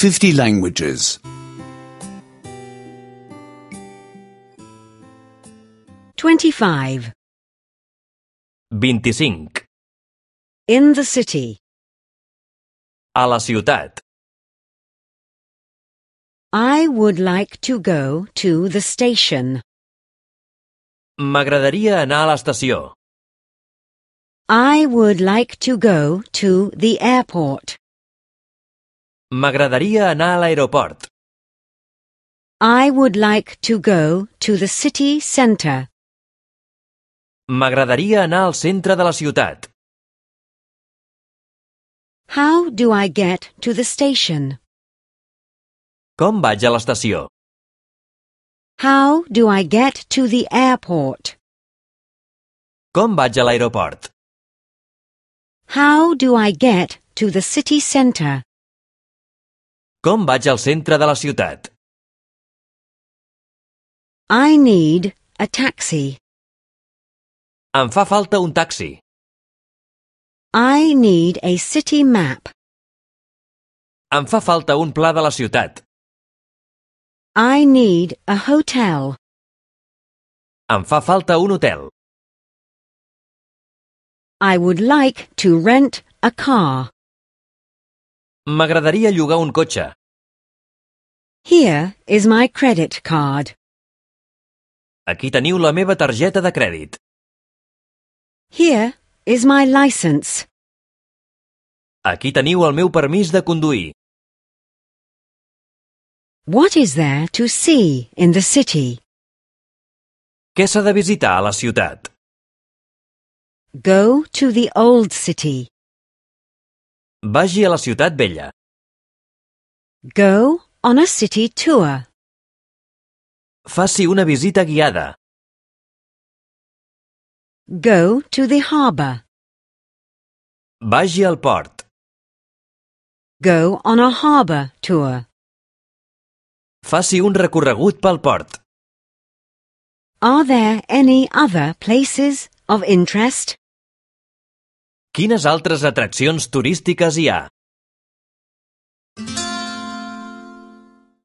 50 languages. 25. 25. In the city. A la ciutat. I would like to go to the station. M'agradaria anar a l'estació. I would like to go to the airport. M'agradaria anar a l'aeroport. I would like to go to the city center. M'agradaria anar al centre de la ciutat. How do I get to the station? Com vaig a l'estació? How do I get to the airport? Com vaig a l'aeroport? How do I get to the city center? Com vaig al centre de la ciutat? I need a taxi. Em fa falta un taxi. I need a city map. Em fa falta un pla de la ciutat. I need a hotel. Em fa falta un hotel. I would like to rent a car. M'agradaria llogar un cotxe. Here is my credit card. Aquí teniu la meva targeta de crèdit. Here is my license. Aquí teniu el meu permís de conduir. What is there to see in the city? Què s'ha de visitar a la ciutat? Go to the old city. Vagi a la ciutat vella. Go on a city tour. Faci una visita guiada. Go to the harbor. Vagi al port. Go on a harbor tour. Faci un recorregut pel port. Are there any other places of interest? Quines altres atraccions turístiques hi ha?